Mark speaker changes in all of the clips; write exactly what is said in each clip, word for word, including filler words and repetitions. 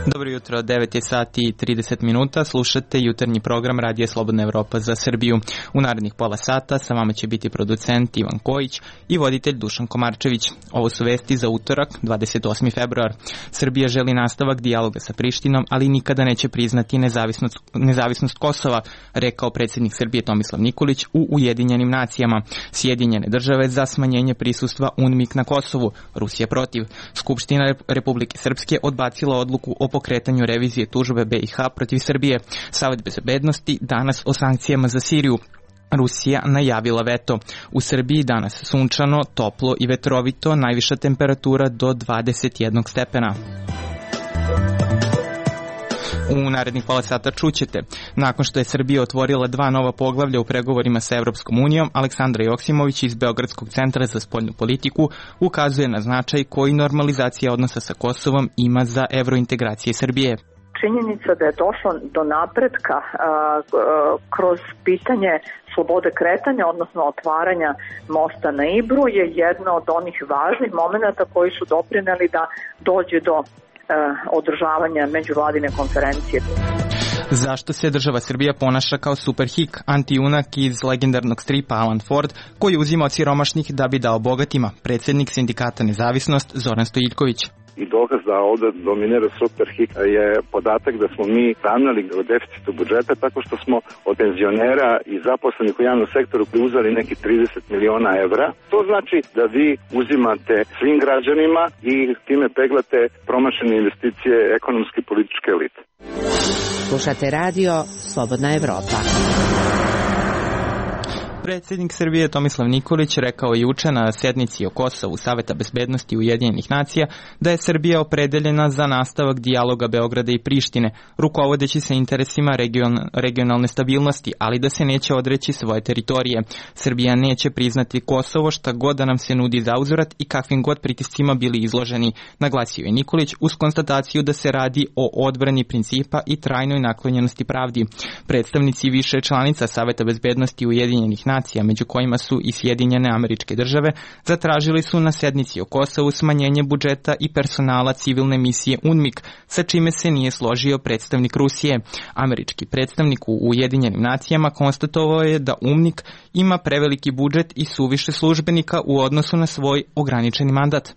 Speaker 1: Dobro jutro, devet je sati i trideset minuta, slušate jutarnji program Radija Slobodna Evropa za Srbiju. U narednih pola sata sa vama će biti producent Ivan Kojić i voditelj Dušan Komarčević. Ovo su vesti za utorak, dvadeset osmi februar. Srbija želi nastavak dijaloga sa Prištinom, ali nikada neće priznati nezavisnost, nezavisnost Kosova, rekao predsjednik Srbije Tomislav Nikolić u Ujedinjenim nacijama. Sjedinjene države za smanjenje prisustva UNMIK na Kosovu, Rusija protiv. Skupština Republike Srpske odbacila odluku o pokretanju revizije tužbe B i H protiv Srbije. Savet bezbednosti danas o sankcijama za Siriju. Rusija najavila veto. U Srbiji danas sunčano, toplo i vetrovito, najviša temperatura do dvadeset jedan stepena. U narednih pola sata čućete. Nakon što je Srbija otvorila dva nova poglavlja u pregovorima sa Evropskom unijom, Aleksandra Joksimović iz Beogradskog centra za spoljnu politiku ukazuje na značaj koji normalizacija odnosa sa Kosovom ima za evrointegracije Srbije.
Speaker 2: Činjenica da je došlo do napretka a, a, kroz pitanje slobode kretanja, odnosno otvaranja mosta na Ibru, je jedno od onih važnih momenata koji su doprineli da dođe do održavanja međuvladine konferencije.
Speaker 1: Zašto se država Srbija ponaša kao superhik, antijunak iz legendarnog stripa Alan Ford, koji uzima od siromašnih da bi dao bogatima? Predsjednik sindikata Nezavisnost Zoran Stojiljković.
Speaker 3: I dokaz da ovdje dominira superhik je podatak da smo mi ravnali o deficitu budžeta tako što smo od penzionera i zaposlenih u javnom sektoru uzeli neki trideset miliona evra. To znači da vi uzimate svim građanima i time peglate promašene investicije ekonomske i političke elite.
Speaker 4: Slušate radio Slobodna Evropa.
Speaker 1: Predsjednik Srbije Tomislav Nikolić rekao juče na sjednici o Kosovu Saveta bezbednosti Ujedinjenih nacija da je Srbija opredeljena za nastavak dijaloga Beograda i Prištine, rukovodeći se interesima region, regionalne stabilnosti, ali da se neće odreći svoje teritorije. Srbija neće priznati Kosovo šta god da nam se nudi za uzvrat i kakvim god pritiscima bili izloženi, naglasio je Nikolić uz konstataciju da se radi o odbrani principa i trajnoj naklonjenosti pravdi. Predstavnici više članica Saveta bezbednosti Ujedinjenih nacija, među kojima su i Sjedinjene Američke Države, zatražili su na sednici o Kosovu smanjenje budžeta i personala civilne misije UNMIK, sa čime se nije složio predstavnik Rusije. Američki predstavnik u Ujedinjenim nacijama konstatovao je da UNMIK ima preveliki budžet i suviše službenika u odnosu na svoj ograničeni mandat.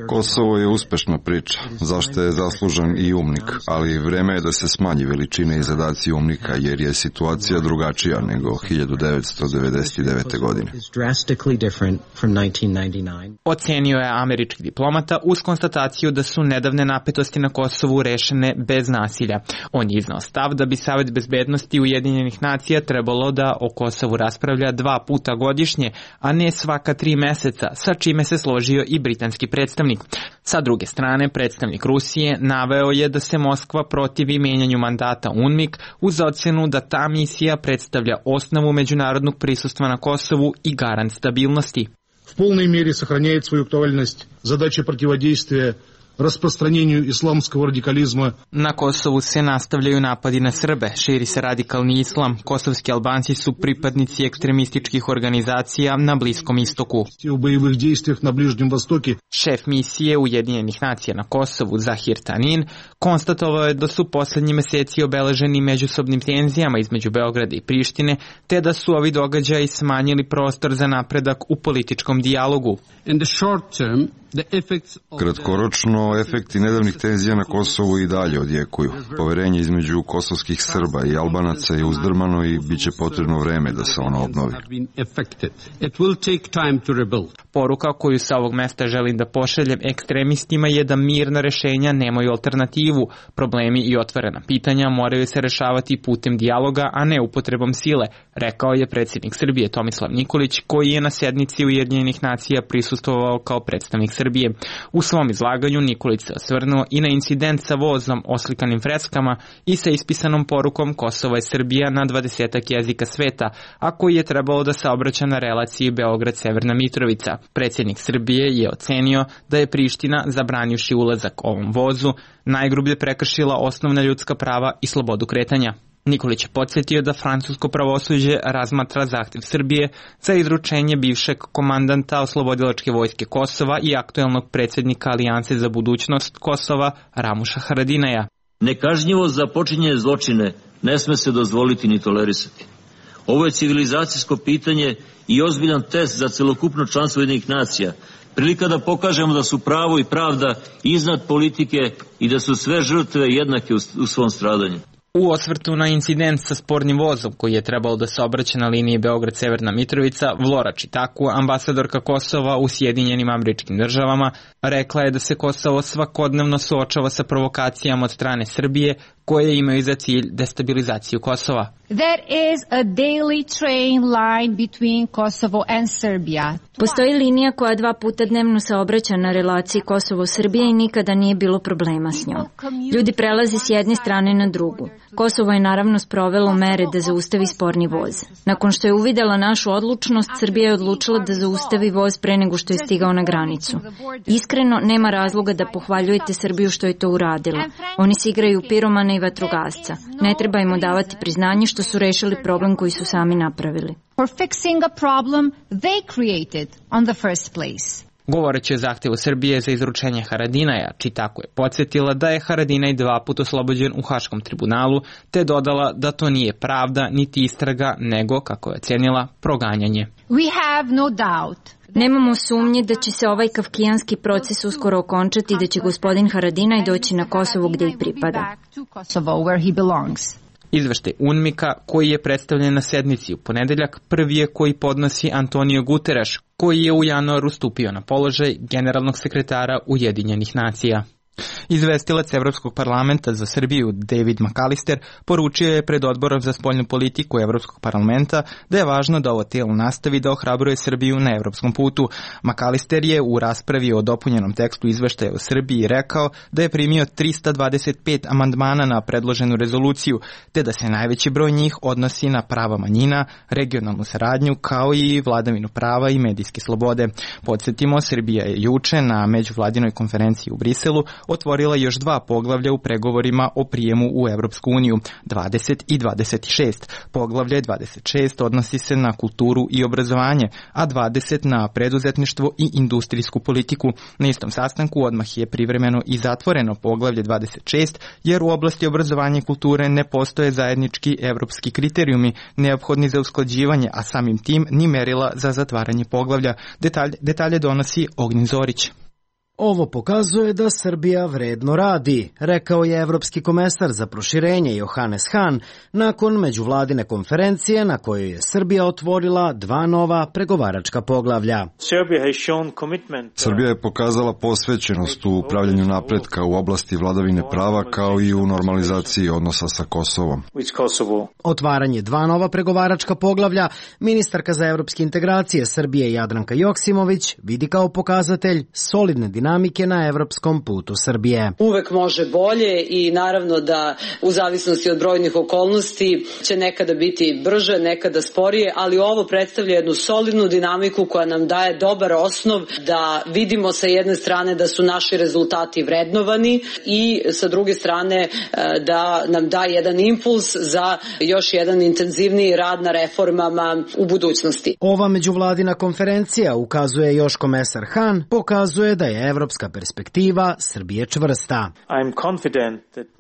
Speaker 5: Kosovo je uspešna priča, zašto je zaslužan i UNMIK, ali vreme je da se smanji veličine i zadaci UNMIK-a, jer je situacija drugačija nego hiljadu devetsto devedeset devete. godine.
Speaker 1: Ocenio je američki diplomata uz konstataciju da su nedavne napetosti na Kosovu rešene bez nasilja. On je iznao stav da bi Savet bezbednosti Ujedinjenih nacija trebalo da o Kosovu raspravlja dva puta godišnje, a ne svaka tri meseca, sa čime se složio i britanski predstavnik. Sa druge strane, predstavnik Rusije naveo je da se Moskva protivi menjanju mandata UNMIK uz ocenu da ta misija predstavlja osnovu međunarodnog prisustva na Kosovu i garant stabilnosti.
Speaker 6: В полной мере сохраняет свою актуальность задача противодействия rasprostranjenju islamskog radikalizma.
Speaker 1: Na Kosovu se nastavljaju napadi na Srbe, širi se radikalni islam. Kosovski Albanci su pripadnici ekstremističkih organizacija na Bliskom istoku.
Speaker 6: U bojevih dejstvih na Bližnjem Vostoku.
Speaker 1: Šef misije Ujedinjenih nacija na Kosovu, Zahir Tanin, konstatovao je da su poslednji meseci obeleženi međusobnim tenzijama između Beograda i Prištine, te da su ovi događaji smanjili prostor za napredak u političkom dijalogu.
Speaker 5: In the short term, kratkoročno, efekti nedavnih tenzija na Kosovu i dalje odjekuju. Poverenje između kosovskih Srba i Albanaca je uzdrmano i bit će potrebno vreme da se ono obnovi.
Speaker 1: Poruka koju sa ovog mesta želim da pošaljem ekstremistima je da mirna rešenja nemaju alternativu. Problemi i otvorena pitanja moraju se rešavati putem dijaloga, a ne upotrebom sile, rekao je predsjednik Srbije Tomislav Nikolić, koji je na sednici Ujedinjenih nacija prisustvovao kao predstavnik Srbije. U svom izlaganju Nikolić se osvrnuo i na incident sa vozom oslikanim freskama i sa ispisanom porukom Kosova je Srbija na dvadesetak jezika sveta, a koji je trebalo da saobraća na relaciji Beograd-Severna Mitrovica. Predsjednik Srbije je ocenio da je Priština, zabranivši ulazak ovom vozu, najgrublje prekršila osnovna ljudska prava i slobodu kretanja. Nikolić je podsjetio da francusko pravosuđe razmatra zahtev Srbije za izručenje bivšeg komandanta oslobodilačke vojske Kosova i aktuelnog predsjednika Alijanse za budućnost Kosova Ramuša Haradinaja.
Speaker 7: Nekažnjivost za počinjene zločine ne sme se dozvoliti ni tolerisati. Ovo je civilizacijsko pitanje i ozbiljan test za celokupno članstvo Ujedinjenih nacija. Prilika da pokažemo da su pravo i pravda iznad politike i da su sve žrtve jednake u svom stradanju.
Speaker 1: U osvrtu na incident sa spornim vozom koji je trebalo da se obraća na liniji Beograd-Severna Mitrovica, Vlora Čitaku, ambasadorka Kosova u Sjedinjenim Američkim Državama, rekla je da se Kosovo svakodnevno suočava sa provokacijama od strane Srbije koje imaju za cilj destabilizaciju Kosova.
Speaker 8: There is a daily train line between Kosovo and Serbia.
Speaker 9: Postoji linija koja dva puta dnevno se obraća na relaciji Kosovo-Srbije i nikada nije bilo problema s njom. Ljudi prelaze s jedne strane na drugu. Kosovo je naravno sprovelo mere da zaustavi sporni voz. Nakon što je uvidela našu odlučnost, Srbija je odlučila da zaustavi voz pre nego što je stigao na granicu. Iskreno, nema razloga da pohvaljujete Srbiju što je to uradila. Oni se igraju piromana i vatrogasca. Ne treba im odavati priznanje što su rešili problem koji su sami napravili.
Speaker 8: For fixing a problem they created on the first place.
Speaker 1: Govoreći o zahtevu Srbije za izručenje Haradinaja, Čitaku je podsjetila da je Haradinaj dva put oslobođen u Haškom tribunalu, te dodala da to nije pravda niti istraga, nego, kako je ocenila, proganjanje.
Speaker 8: We have no doubt.
Speaker 9: Nemamo sumnje da će se ovaj kafkijanski proces uskoro okončati i da će gospodin Haradinaj doći na Kosovo gde i pripada.
Speaker 1: Izveštaj UNMIK-a koji je predstavljen na sednici u ponedeljak prvi je koji podnosi Antonio Guterres, koji je u januaru stupio na položaj generalnog sekretara Ujedinjenih nacija. Izvestilac Evropskog parlamenta za Srbiju David McAllister poručio je pred odborom za spoljnu politiku Evropskog parlamenta da je važno da ovo tijelo nastavi da ohrabruje Srbiju na evropskom putu. McAllister je u raspravi o dopunjenom tekstu izveštaja u Srbiji rekao da je primio trista dvadeset pet amandmana na predloženu rezoluciju, te da se najveći broj njih odnosi na prava manjina, regionalnu saradnju kao i vladavinu prava i medijske slobode. Podsjetimo, Srbija je juče na međuvladinoj konferenciji u Briselu otvorila još dva poglavlja u pregovorima o prijemu u Evropsku uniju, dvadeset i dvadeset šest. Poglavlje dvadeset šest odnosi se na kulturu i obrazovanje, a dvadeset na preduzetništvo i industrijsku politiku. Na istom sastanku odmah je privremeno i zatvoreno poglavlje dvadeset šest, jer u oblasti obrazovanja i kulture ne postoje zajednički evropski kriterijumi neophodni za usklađivanje, a samim tim ni merila za zatvaranje poglavlja. Detalje, detalje donosi Ognjen Zorić.
Speaker 10: Ovo pokazuje da Srbija vredno radi, rekao je evropski komesar za proširenje Johannes Hahn nakon međuvladine konferencije na kojoj je Srbija otvorila dva nova pregovaračka poglavlja.
Speaker 5: Srbija je pokazala posvećenost u upravljanju napretka u oblasti vladavine prava kao i u normalizaciji odnosa sa Kosovom.
Speaker 10: Otvaranje dva nova pregovaračka poglavlja ministarka za evropske integracije Srbije Jadranka Joksimović vidi kao pokazatelj solidne dinamike dinamike na evropskom putu Srbije.
Speaker 11: Uvek može bolje i naravno da u zavisnosti od brojnih okolnosti će nekada biti brže, nekada sporije, ali ovo predstavlja jednu solidnu dinamiku koja nam daje dobar osnov da vidimo sa jedne strane da su naši rezultati vrednovani i sa druge strane da nam da jedan impuls za još jedan intenzivniji rad na reformama u budućnosti.
Speaker 10: Ova međuvladina konferencija, ukazuje još komesar Hahn, pokazuje da je evropska perspektiva Srbije čvrsta.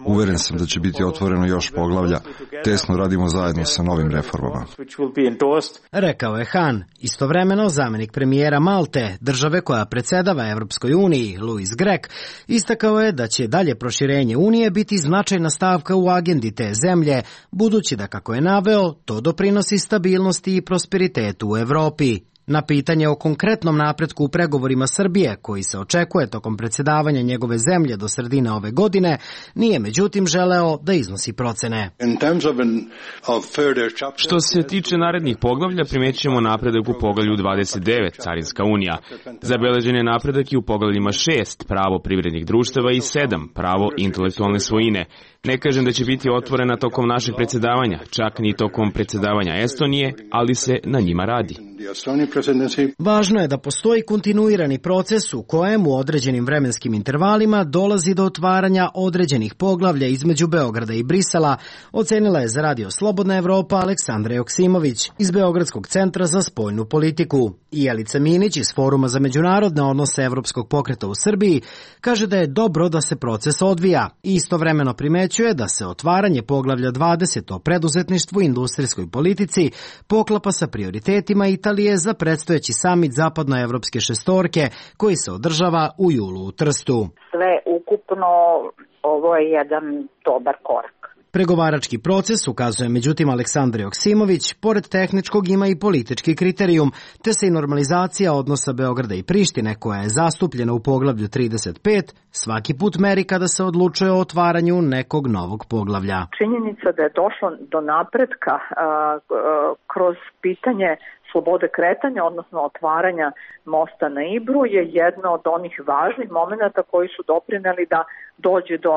Speaker 5: Uveren sam da će biti otvoreno još poglavlja. Tesno radimo zajedno sa novim reformama.
Speaker 10: Rekao je Hahn. Istovremeno, zamenik premijera Malte, države koja predsedava Evropskoj uniji, Louis Grech, istakao je da će dalje proširenje Unije biti značajna stavka u agendi te zemlje, budući da, kako je naveo, to doprinosi stabilnosti i prosperitetu u Evropi. Na pitanje o konkretnom napretku u pregovorima Srbije, koji se očekuje tokom predsjedavanja njegove zemlje do sredine ove godine, nije međutim želeo da iznosi procene.
Speaker 12: Što se tiče narednih poglavlja, primetit ćemo napredak u poglavlju dvadeset devet, Carinska unija. Zabeležen je napredak i u poglavljima šest, pravo privrednih društava i sedam, pravo intelektualne svojine. Ne kažem da će biti otvorena tokom našeg predsjedavanja, čak ni tokom predsjedavanja Estonije, ali se na njima radi.
Speaker 10: Važno je da postoji kontinuirani proces u kojem u određenim vremenskim intervalima dolazi do otvaranja određenih poglavlja između Beograda i Brisela, ocenila je za Radio Slobodna Evropa Aleksandra Joksimović iz Beogradskog centra za spoljnu politiku. I Jelica Minić iz Foruma za međunarodne odnose Evropskog pokreta u Srbiji kaže da je dobro da se proces odvija i istovremeno primećuje da se otvaranje poglavlja dvadeset o preduzetništvu i industrijskoj politici poklapa sa prioritetima Italije za predstojeći samit zapadnoevropske šestorke koji se održava u julu u Trstu.
Speaker 13: Sve ukupno ovo je jedan dobar korak.
Speaker 10: Pregovarački proces, ukazuje međutim Aleksandar Joksimović, pored tehničkog ima i politički kriterijum, te se i normalizacija odnosa Beograda i Prištine, koja je zastupljena u poglavlju trideset pet, svaki put meri kada se odlučuje o otvaranju nekog novog poglavlja.
Speaker 2: Činjenica da je došlo do napretka a, a, kroz pitanje slobode kretanja, odnosno otvaranja mosta na Ibru, je jedno od onih važnih momenata koji su doprineli da dođe do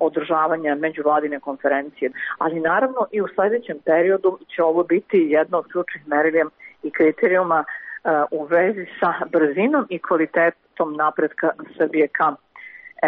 Speaker 2: održavanja međuvladine konferencije. Ali naravno i u sledećem periodu će ovo biti jedno od ključnih merilja i kriterijuma u vezi sa brzinom i kvalitetom napretka Srbije ka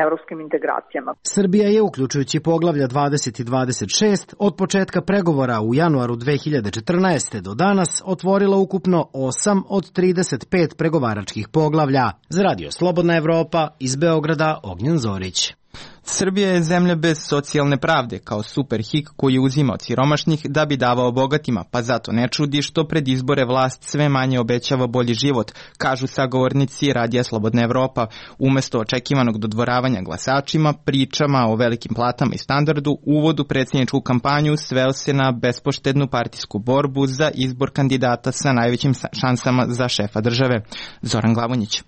Speaker 2: evropskim integracijama.
Speaker 10: Srbija je, uključujući poglavlja dvadeset i dvadeset šest, od početka pregovora u januaru dve hiljade četrnaeste. do danas otvorila ukupno osam od trideset pet pregovaračkih poglavlja. Za Radio Slobodna Evropa, iz Beograda, Ognjen Zorić.
Speaker 1: Srbija je zemlja bez socijalne pravde, kao superhik koji uzima od siromašnih da bi davao bogatima, pa zato ne čudi što pred izbore vlast sve manje obećava bolji život, kažu sagovornici Radija Slobodna Evropa. Umesto očekivanog dodvoravanja glasačima, pričama o velikim platama i standardu, uvod u predsjedničku kampanju sveo se na bespoštednu partijsku borbu za izbor kandidata sa najvećim šansama za šefa države. Zoran Glavonjić.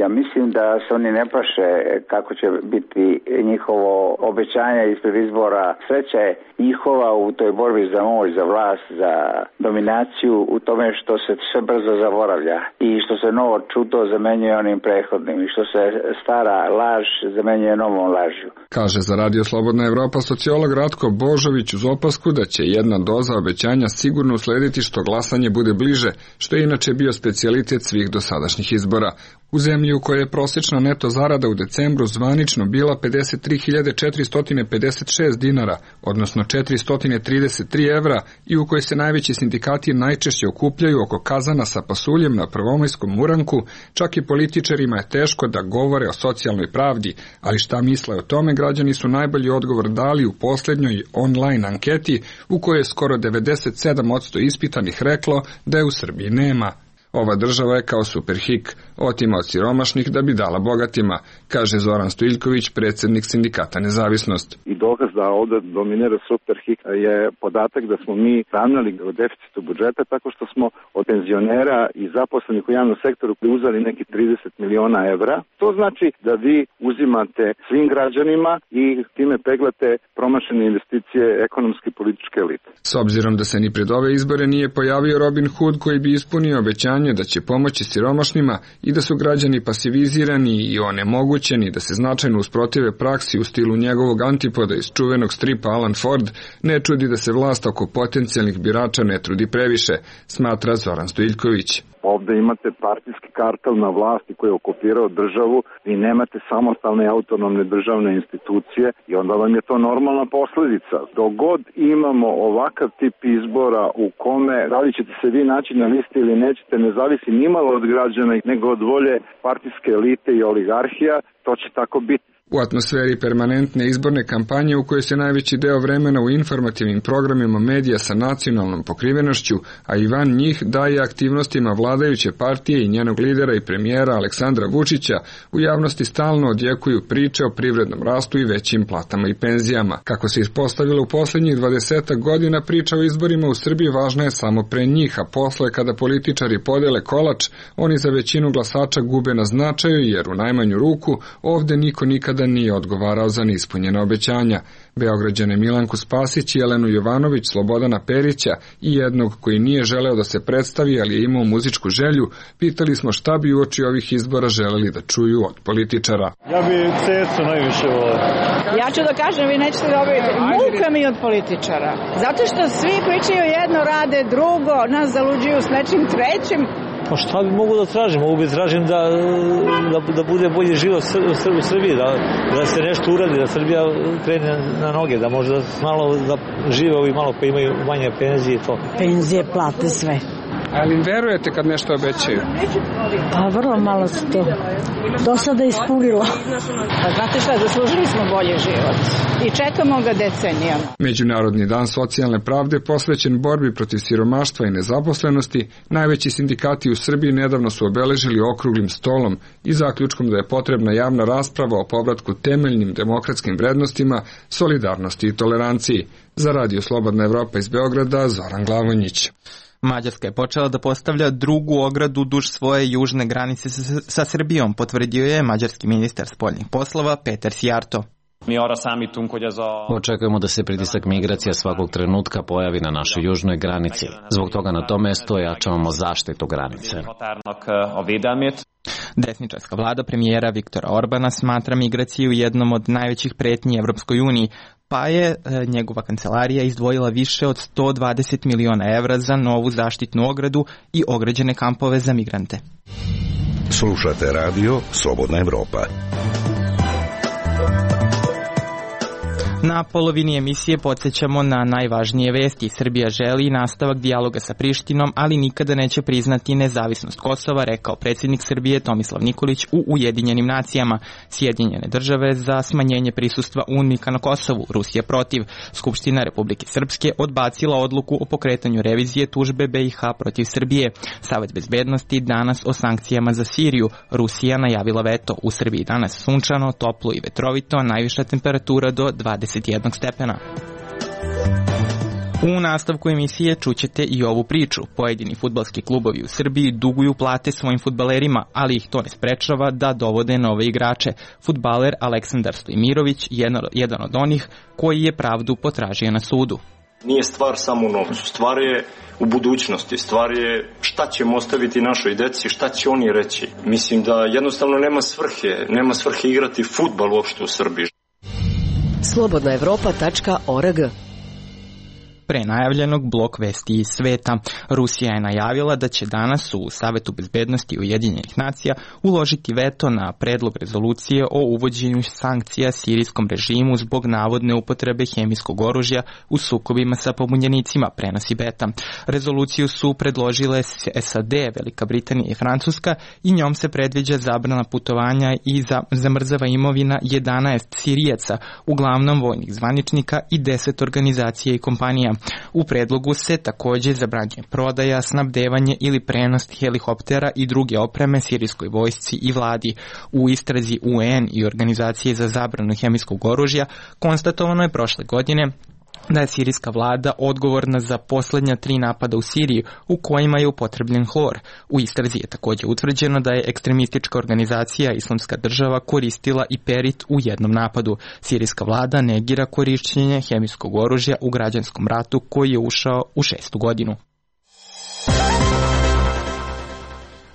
Speaker 14: Ja mislim da se oni ne plaše kako će biti njihovo obećanje ispred izbora. Sreća je njihova u toj borbi za moć, za vlast, za dominaciju, u tome što se sve brzo zaboravlja i što se novo čuto zamenjuje onim prethodnim i što se stara laž zamenjuje novom lažju.
Speaker 15: Kaže za Radio Slobodna Evropa sociolog Ratko Božović uz opasku da će jedna doza obećanja sigurno uslediti što glasanje bude bliže, što je inače bio specijalitet svih dosadašnjih izbora. U zemlji u kojoj je prosječna neto zarada u decembru zvanično bila pedeset tri hiljade četiristo pedeset šest dinara, odnosno četiristo trideset tri evra, i u kojoj se najveći sindikati najčešće okupljaju oko kazana sa pasuljem na prvomajskom uranku, čak i političarima je teško da govore o socijalnoj pravdi, ali šta misle o tome građani su najbolji odgovor dali u poslednjoj online anketi u kojoj je skoro devedeset sedam posto ispitanih reklo da je u Srbiji nema. Ova država je kao superhik, otima od siromašnih da bi dala bogatima, kaže Zoran Stojiljković, predsjednik sindikata Nezavisnost.
Speaker 3: I dokaz da ovde dominira superhik je podatak da smo mi ravnali o deficitu budžeta tako što smo od penzionera i zaposlenih u javnom sektoru uzeli neki trideset miliona evra. To znači da vi uzimate svim građanima i time peglate promašene investicije ekonomske i političke elite.
Speaker 15: S obzirom da se ni pred ove izbore nije pojavio Robin Hood koji bi ispunio obećanje da će pomoći siromašnima i da su građani pasivizirani i onemogućeni da se značajno usprotive praksi u stilu njegovog antipoda iz čuvenog stripa Alan Ford, ne čudi da se vlast oko potencijalnih birača ne trudi previše, smatra Zoran Stojiljković.
Speaker 3: Ovde imate partijski kartel na vlasti koji je okupirao državu i nemate samostalne i autonomne državne institucije i onda vam je to normalna posledica. Dok god imamo ovakav tip izbora u kome da li ćete se vi naći na listi ili nećete, ne zavisi nimalo od građana nego od volje partijske elite i oligarhija, to će tako biti.
Speaker 15: U atmosferi permanentne izborne kampanje u kojoj se najveći deo vremena u informativnim programima medija sa nacionalnom pokrivenošću, a i van njih daje aktivnostima vladajuće partije i njenog lidera i premijera Aleksandra Vučića, u javnosti stalno odjekuju priče o privrednom rastu i većim platama i penzijama. Kako se ispostavilo u poslednjih dvadesetak godina, priča o izborima u Srbiji važna je samo pre njih, a posle kada političari podele kolač, oni za većinu glasača gube na značaju jer u najmanju ruku ovde niko nikada nikada nije odgovarao za neispunjena obećanja. Beograđane Milanku Spasić, Jelenu Jovanović, Slobodana Perića i jednog koji nije želeo da se predstavi, ali je imao muzičku želju, pitali smo šta bi uoči ovih izbora želeli da čuju od političara.
Speaker 16: Ja bi Cecu najviše volio.
Speaker 17: Ja ću da kažem, vi nećete dobiti. Muka mi od političara. Zato što svi pričaju jedno, rade drugo, nas zaluđuju s nečim trećim.
Speaker 16: Pa šta bi mogu da tražim? Mogu bi tražim da, da, da bude bolji život u Srbiji, da, da se nešto uradi, da Srbija krene na noge, da možda malo da žive ovi malo pa imaju manje penzije i to.
Speaker 17: Penzije, plate, sve.
Speaker 15: Ali im verujete kad nešto obećaju?
Speaker 17: Pa vrlo malo se to do sada ispunilo. Pa znate šta, zaslužili smo bolji život i čekamo ga decenijama.
Speaker 15: Međunarodni dan socijalne pravde posvećen borbi protiv siromaštva i nezaposlenosti, najveći sindikati u Srbiji nedavno su obeležili okruglim stolom i zaključkom da je potrebna javna rasprava o povratku temeljnim demokratskim vrednostima, solidarnosti i toleranciji. Za Radio Slobodna Evropa iz Beograda, Zoran Glavonjić.
Speaker 1: Mađarska je počela da postavlja drugu ogradu duž svoje južne granice sa, sa Srbijom, potvrdio je mađarski ministar spoljnih poslova Peter Sijarto.
Speaker 18: Očekujemo da se pritisak migracija svakog trenutka pojavi na našoj južnoj granici. Zbog toga na to mesto jačavamo zaštitu granice.
Speaker 1: Desničarska vlada premijera Viktora Orbana smatra migraciju jednom od najvećih pretnji Evropskoj uniji, pa je e, njegova kancelarija izdvojila više od sto dvadeset miliona evra za novu zaštitnu ogradu i ograđene kampove za migrante.
Speaker 19: Slušate radio Slobodna Evropa.
Speaker 1: Na polovini emisije podsjećamo na najvažnije vesti. Srbija želi nastavak dijaloga sa Prištinom, ali nikada neće priznati nezavisnost Kosova, rekao predsjednik Srbije Tomislav Nikolić u Ujedinjenim nacijama. Sjedinjene države za smanjenje prisustva UNMIK-a na Kosovu, Rusija protiv. Skupština Republike Srpske odbacila odluku o pokretanju revizije tužbe B i H protiv Srbije. Savet bezbednosti danas o sankcijama za Siriju. Rusija najavila veto. U Srbiji danas sunčano, toplo i vetrovito, najviša temperatura do dvadeset jednog stepena. U nastavku emisije čućete i ovu priču. Pojedini fudbalski klubovi u Srbiji duguju plate svojim fudbalerima, ali ih to ne sprečava da dovode nove igrače. Fudbaler Aleksandar Stojmirović je jedan od onih koji je pravdu potražio na sudu.
Speaker 20: Nije stvar samo u novcu, stvar je u budućnosti, stvar je šta ćemo ostaviti našoj deci, šta će oni reći. Mislim da jednostavno nema svrhe, nema svrhe igrati fudbal uopšte u Srbiji.
Speaker 4: slobodna evropa tačka org.
Speaker 1: Pre najavljenog blok vesti iz sveta. Rusija je najavila da će danas u Savetu bezbednosti Ujedinjenih nacija uložiti veto na predlog rezolucije o uvođenju sankcija sirijskom režimu zbog navodne upotrebe hemijskog oružja u sukobima sa pobunjenicima, prenosi Beta. Rezoluciju su predložile S A D, Velika Britanija i Francuska i njom se predviđa zabrana putovanja i zamrzava imovina jedanaest Sirijaca, uglavnom vojnih zvaničnika i deset organizacija i kompanija. U predlogu se takođe zabranjuje prodaja, snabdevanje ili prenos helikoptera i druge opreme sirijskoj vojsci i vladi. U istrazi U N i Organizacije za zabranu hemijskog oružja konstatovano je prošle godine da je sirijska vlada odgovorna za posljednja tri napada u Siriji u kojima je upotrebljen hlor. U istrazi je također utvrđeno da je ekstremistička organizacija Islamska država koristila i perit u jednom napadu. Sirijska vlada negira korišćenje hemijskog oružja u građanskom ratu koji je ušao u šestu godinu.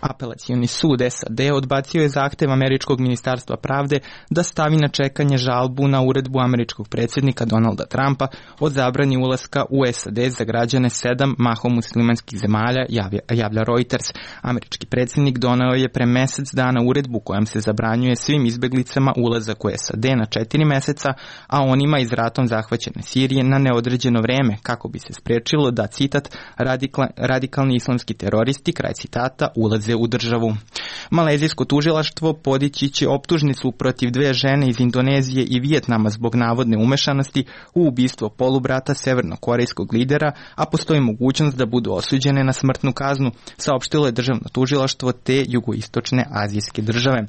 Speaker 1: Apelacioni sud S A D odbacio je zahtev američkog ministarstva pravde da stavi na čekanje žalbu na uredbu američkog predsjednika Donalda Trumpa o zabrani ulaska u S A D za građane sedam mahom muslimanskih zemalja, javlja, javlja Reuters. Američki predsjednik doneo je pre mesec dana uredbu kojom se zabranjuje svim izbeglicama ulazak u S A D na četiri meseca, a onima iz ratom zahvaćene Sirije na neodređeno vreme, kako bi se sprečilo da, citat, radikal, radikalni islamski teroristi, kraj citata, ulaze u državu. Malezijsko tužilaštvo podići će optužnicu protiv dve žene iz Indonezije i Vijetnama zbog navodne umešanosti u ubistvo polubrata severnokorejskog lidera, a postoji mogućnost da budu osuđene na smrtnu kaznu, saopštilo je državno tužilaštvo te jugoistočne azijske države.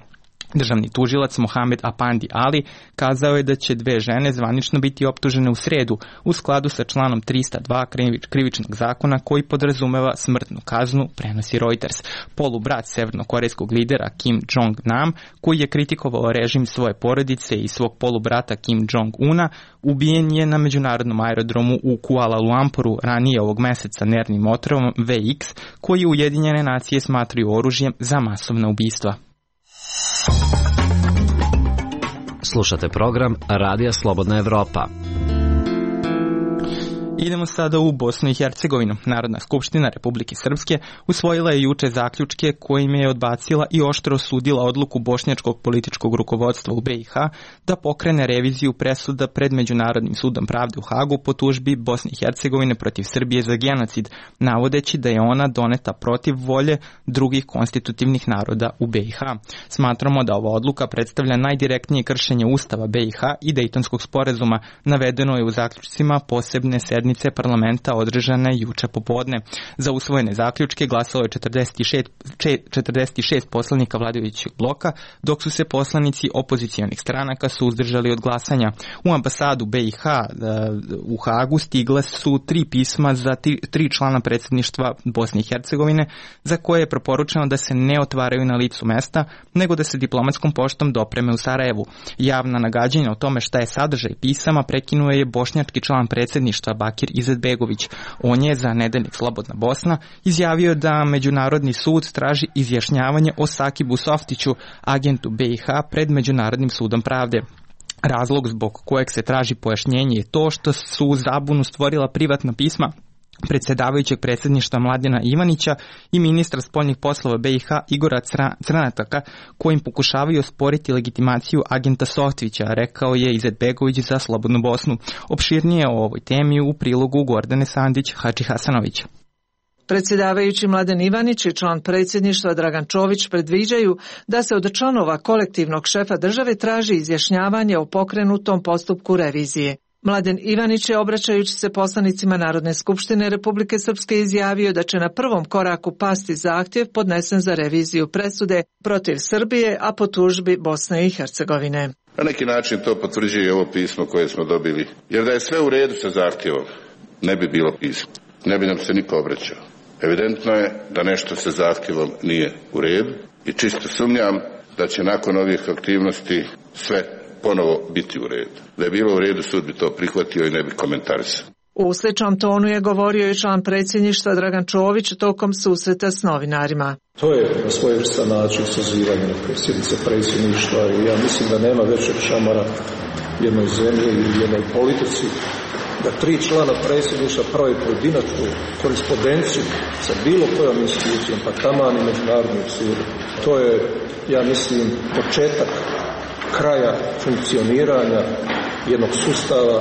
Speaker 1: Državni tužilac Mohamed Apandi Ali kazao je da će dve žene zvanično biti optužene u sredu u skladu sa članom trista dva krivičnog zakona koji podrazumeva smrtnu kaznu, prenosi Reuters. Polubrat severnokorejskog lidera Kim Jong-nam, koji je kritikovao režim svoje porodice i svog polubrata Kim Jong-una, ubijen je na međunarodnom aerodromu u Kuala Lumpuru ranije ovog meseca nervnim otrovom V X, koji Ujedinjene nacije smatraju oružjem za masovna ubistva.
Speaker 18: Slušate program Radija Slobodna Evropa.
Speaker 1: Idemo sada u Bosnu i Hercegovinu. Narodna skupština Republike Srpske usvojila je juče zaključke kojim je odbacila i oštro osudila odluku bošnjačkog političkog rukovodstva u B i H da pokrene reviziju presuda pred Međunarodnim sudom pravde u Hagu po tužbi Bosne i Hercegovine protiv Srbije za genocid, navodeći da je ona doneta protiv volje drugih konstitutivnih naroda u B i H. Smatramo da ova odluka predstavlja najdirektnije kršenje Ustava B i H i Dejtonskog sporazuma, navedeno je u zaključcima posebne sednice parlamenta održane juče popodne. Za usvojene zaključke glasalo je četrdeset šest poslanika vladajućeg bloka, dok su se poslanici opozicionih stranaka suzdržali od glasanja. U ambasadu B i H u Hagu stigla su tri pisma za tri člana predsjedništva Bosne i Hercegovine, za koje je preporučeno da se ne otvaraju na licu mesta, nego da se diplomatskom poštom dopreme u Sarajevu. Javna nagađanja o tome šta je sadržaj pisama prekinuo je bošnjački član predsjedništva Bakir Izetbegović. On je za nedeljnik Slobodna Bosna izjavio da Međunarodni sud traži izjašnjavanje o Sakibu Softiću, agentu B i H, pred Međunarodnim sudom pravde. Razlog zbog kojeg se traži pojašnjenje je to što su zabunu stvorila privatna pisma predsjedavajućeg predsjedništva Mladena Ivanića i ministra spoljnih poslova B i H Igora Crnataka, kojim pokušavaju osporiti legitimaciju agenta Softvića, rekao je Izetbegović za Slobodnu Bosnu. Opširnije o ovoj temi u prilogu Gordane Sandić Hadži Hasanović.
Speaker 21: Predsjedavajući Mladen Ivanić i član predsjedništva Dragan Čović predviđaju da se od članova kolektivnog šefa države traži izjašnjavanje o pokrenutom postupku revizije. Mladen Ivanić je, obraćajući se poslanicima Narodne skupštine Republike Srpske, izjavio da će na prvom koraku pasti zahtjev podnesen za reviziju presude protiv Srbije, a po tužbi Bosne i Hercegovine.
Speaker 22: Na neki način to potvrđuje i ovo pismo koje smo dobili, jer da je sve u redu sa zahtjevom, ne bi bilo pismo, ne bi nam se niko obraćao. Evidentno je da nešto sa zahtjevom nije u redu i čisto sumnjam da će nakon ovih aktivnosti sve ponovo biti u redu. Da je bilo u redu, sud bi to prihvatio i ne bi komentarisao.
Speaker 21: U sličnom tonu je govorio i član predsjedništva Dragan Čović tokom susreta s novinarima.
Speaker 23: To je na svojevrstan način sazivanje neke sjednice predsjedništva i ja mislim da nema većeg šamara jednoj zemlji i jednoj politici da tri člana predsjedništva prave pojedinačnu korespondenciju sa bilo kojom institucijom, pa taman i Međunarodnim sudom. To je, ja mislim, početak kraja funkcioniranja jednog sustava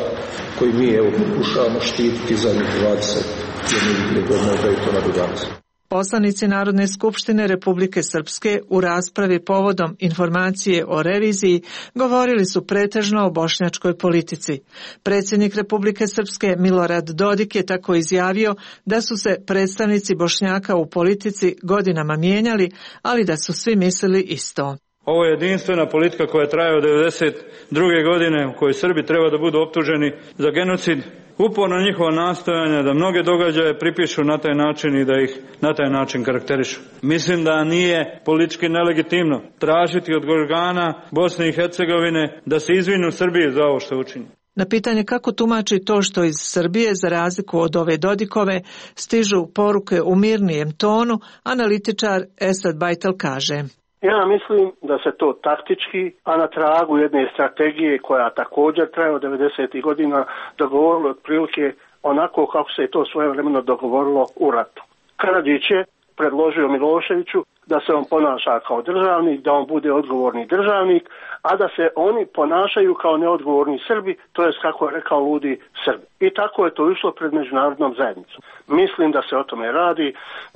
Speaker 23: koji mi evo pokušavamo štititi zadnjih dvadeset jedne godine od Dejtona do danas.
Speaker 21: Poslanici Narodne skupštine Republike Srpske u raspravi povodom informacije o reviziji govorili su pretežno o bošnjačkoj politici. Predsjednik Republike Srpske Milorad Dodik je tako izjavio da su se predstavnici Bošnjaka u politici godinama mijenjali, ali da su svi mislili isto.
Speaker 24: Ovo je jedinstvena politika koja traje od devedeset druge godine u kojoj Srbi treba da budu optuženi za genocid. Uporno njihova nastojanja da mnoge događaje pripišu na taj način i da ih na taj način karakterišu. Mislim da nije politički nelegitimno tražiti od organa Bosne i Hercegovine da se izvinu Srbiji za ovo što učini.
Speaker 21: Na pitanje kako tumači to što iz Srbije, za razliku od ove Dodikove, stižu poruke u mirnijem tonu, analitičar Esad Bajtel kaže:
Speaker 25: Ja mislim da se to taktički, a na tragu jedne strategije koja također traje od devedesetih godina, dogovorilo otprilike onako kako se je to svojevremeno dogovorilo u ratu. Karadžić je predložio Miloševiću da se on ponaša kao državnik, da on bude odgovorni državnik, a da se oni ponašaju kao neodgovorni Srbi, to jest kako je rekao ludi Srbi. I tako je to išlo pred međunarodnom zajednicom. Mislim da se o tome radi,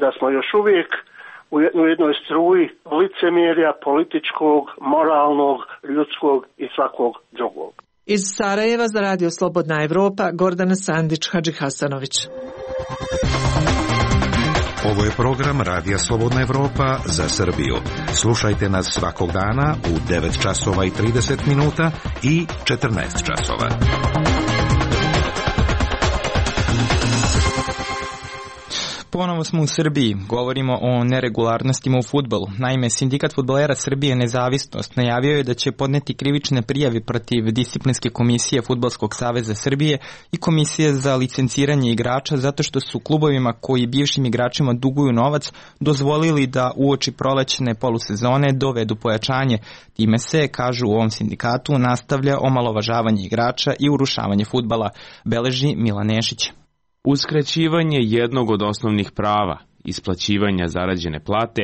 Speaker 25: da smo još uvijek u jednoj struji licemjerja političkog, moralnog, ljudskog i svakog drugog.
Speaker 21: Iz Sarajeva za Radio Slobodna Evropa, Gordana Sandić Hadži Hasanović.
Speaker 19: Ovo je program Radija Slobodna Evropa za Srbiju. Slušajte nas svakog dana u devet časova i trideset minuta i četrnaest časova.
Speaker 1: Ponovo smo u Srbiji, govorimo o neregularnostima u fudbalu. Naime, Sindikat fudbalera Srbije Nezavisnost najavio je da će podneti krivične prijave protiv disciplinske komisije Fudbalskog saveza Srbije i komisije za licenciranje igrača zato što su klubovima koji bivšim igračima duguju novac dozvolili da uoči prolećne polusezone dovedu pojačanje. Time se, kažu u ovom sindikatu, nastavlja omalovažavanje igrača i urušavanje fudbala, beleži Milan Nešić.
Speaker 12: Uskraćivanje jednog od osnovnih prava, isplaćivanja zarađene plate,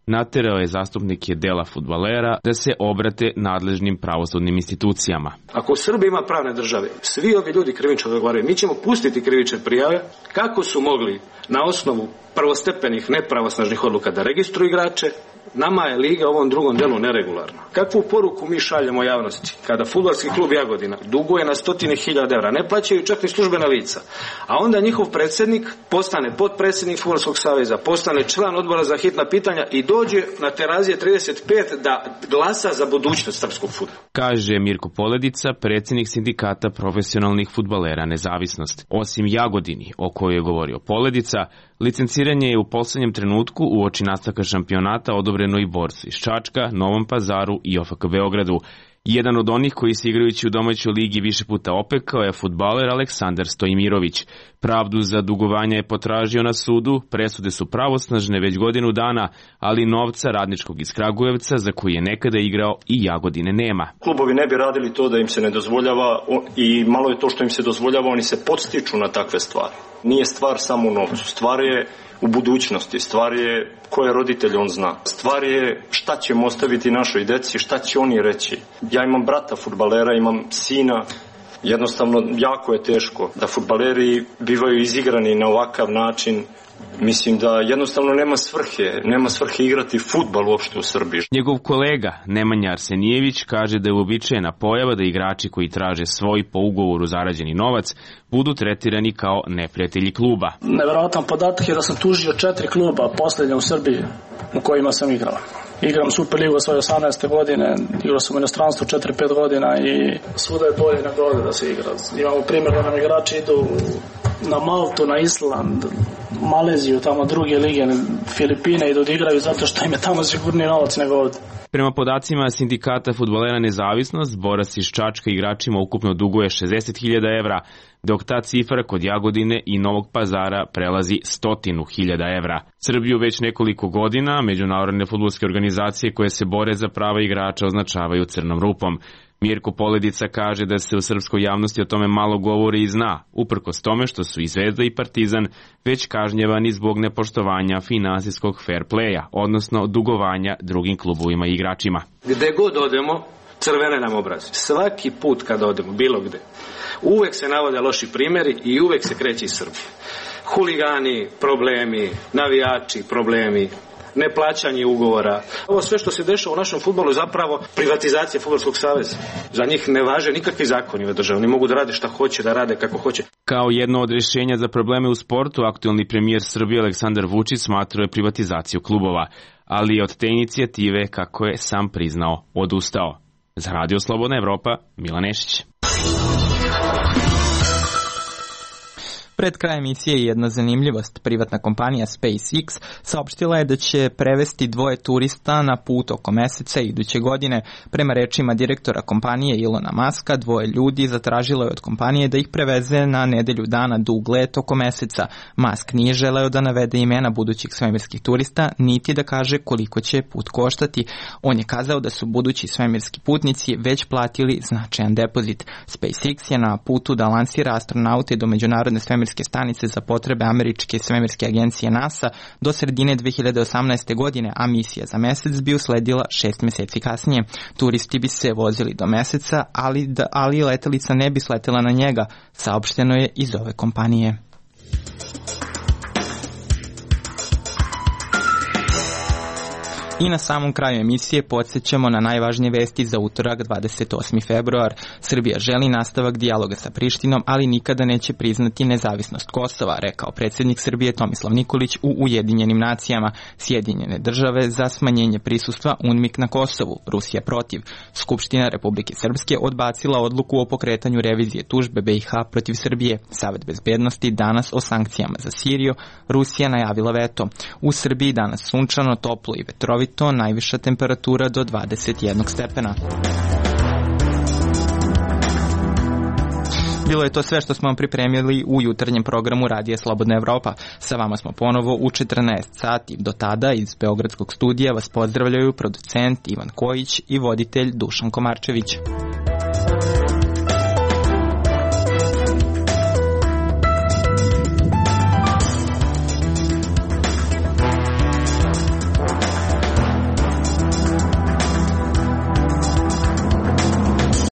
Speaker 12: naterao je zastupnike dela fudbalera da se obrate nadležnim pravosudnim institucijama.
Speaker 6: Ako u Srbiji ima pravne države, svi ovi ljudi krivično odgovaraju, mi ćemo pustiti krivične prijave kako su mogli na osnovu prvostepenih nepravosnažnih odluka da registruju igrače. Nama je liga u ovom drugom delu neregularna. Kakvu poruku mi šaljemo javnosti kada fudbalski klub Jagodina duguje na stotine hiljada evra, ne plaćaju čak ni službena lica, a onda njihov predsjednik postane potpredsjednik Fudbalskog saveza, postane član odbora za hitna pitanja i dođe na Terazije trideset pet da glasa za budućnost srpskog fudbala.
Speaker 12: Kaže Mirko Poledica, predsjednik sindikata profesionalnih fudbalera Nezavisnost. Osim Jagodini, o kojoj je govorio Poledica, licenciranje je u poslednjem trenutku uoči nastavka šampionata odobreno i borcu iz Čačka, Novom Pazaru i O F K Beogradu. Jedan od onih koji se igrajući u domaćoj ligi više puta opekao je fudbaler Aleksandar Stojimirović. Pravdu za dugovanja je potražio na sudu, presude su pravosnažne već godinu dana, ali novca radničkog iz Kragujevca za koji je nekada igrao i Jagodine nema.
Speaker 20: Klubovi ne bi radili to da im se ne dozvoljava i malo je to što im se dozvoljava, oni se podstiču na takve stvari. Nije stvar samo u novcu, stvar je u budućnosti, stvar je koje roditelj on zna. Stvar je šta ćemo ostaviti našoj deci, šta će oni reći. Ja imam brata fudbalera, imam sina, jednostavno jako je teško da fudbaleri bivaju izigrani na ovakav način. Mislim da jednostavno nema svrhe, nema svrhe igrati fudbal uopšte u Srbiji.
Speaker 12: Njegov kolega Nemanja Arsenijević kaže da je uobičajena pojava da igrači koji traže svoj po ugovoru zarađeni novac budu tretirani kao neprijatelji kluba.
Speaker 7: Neverovatan podatak je da sam tužio četiri kluba poslednja u Srbiji u kojima sam igrao. Igram Superligu svoje osamnaeste godine, igrao sam u inostranstvu četiri pet godina i svuda je bolje nego ovde da se igra. Imamo primjer da nam igrači idu na Maltu, na Island, Maleziju, tamo druge lige, Filipine idu da igraju zato što im je tamo sigurniji novac nego ovde.
Speaker 12: Prema podacima sindikata fudbalera Nezavisnost, borac iz Čačka igračima ukupno duguje šezdeset hiljada evra, dok ta cifra kod Jagodine i Novog Pazara prelazi stotinu hiljada evra. Srbiju već nekoliko godina međunarodne fudbalske organizacije koje se bore za prava igrača označavaju crnom rupom. Mirko Poledica kaže da se u srpskoj javnosti o tome malo govori i zna, uprkos tome što su i Zvezda i Partizan već kažnjevani zbog nepoštovanja finansijskog fair playa, odnosno dugovanja drugim klubovima i igračima.
Speaker 6: Gde god odemo, crvene nam obrazi. Svaki put kada odemo, bilo gde, uvek se navode loši primjeri i uvek se kreće iz Srbije. Huligani, problemi, navijači, problemi, neplaćanje ugovora. Ovo sve što se dešava u našem fudbalu je zapravo privatizacija Fudbalskog saveza. Za njih ne važe nikakvi zakoni ove države. Oni mogu da rade šta hoće, da rade kako hoće.
Speaker 12: Kao jedno od rješenja za probleme u sportu, aktuelni premijer Srbije Aleksandar Vučić smatrao je privatizaciju klubova, ali od te inicijative, kako je sam priznao, odustao. Za Radio Slobodna Evropa, Milan Nešić.
Speaker 1: Pred kraj emisije jedna zanimljivost. Privatna kompanija SpaceX saopštila je da će prevesti dvoje turista na put oko meseca iduće godine. Prema rečima direktora kompanije Ilona Maska, dvoje ljudi zatražilo je od kompanije da ih preveze na nedelju dana dug let oko meseca. Musk nije želeo da navede imena budućih svemirskih turista, niti da kaže koliko će put koštati. On je kazao da su budući svemirski putnici već platili značajan depozit. SpaceX je na putu da lansira astronaute do međunarodne svemirske stanice za potrebe američke svemirske agencije NASA do sredine dve hiljade osamnaeste. godine, a misija za mesec bi usledila šest meseci kasnije. Turisti bi se vozili do meseca, ali, da, ali letelica ne bi sletela na njega, saopšteno je iz ove kompanije. I na samom kraju emisije podsjećamo na najvažnije vesti za utorak dvadeset osmi februar. Srbija želi nastavak dijaloga sa Prištinom, ali nikada neće priznati nezavisnost Kosova, rekao predsjednik Srbije Tomislav Nikolić u Ujedinjenim nacijama. Sjedinjene države za smanjenje prisustva UNMIK na Kosovu, Rusija protiv. Skupština Republike Srpske odbacila odluku o pokretanju revizije tužbe B i H protiv Srbije. Savet bezbednosti danas o sankcijama za Siriju, Rusija najavila veto. U Srbiji danas sunčano, toplo i vetrovito, najviša temperatura do dvadeset jednog stepena. Bilo je to sve što smo vam pripremili u jutarnjem programu Radija Slobodna Evropa. Sa vama smo ponovo u četrnaest sati. Do tada iz Beogradskog studija vas pozdravljaju producent Ivan Kojić i voditelj Dušan Komarčević.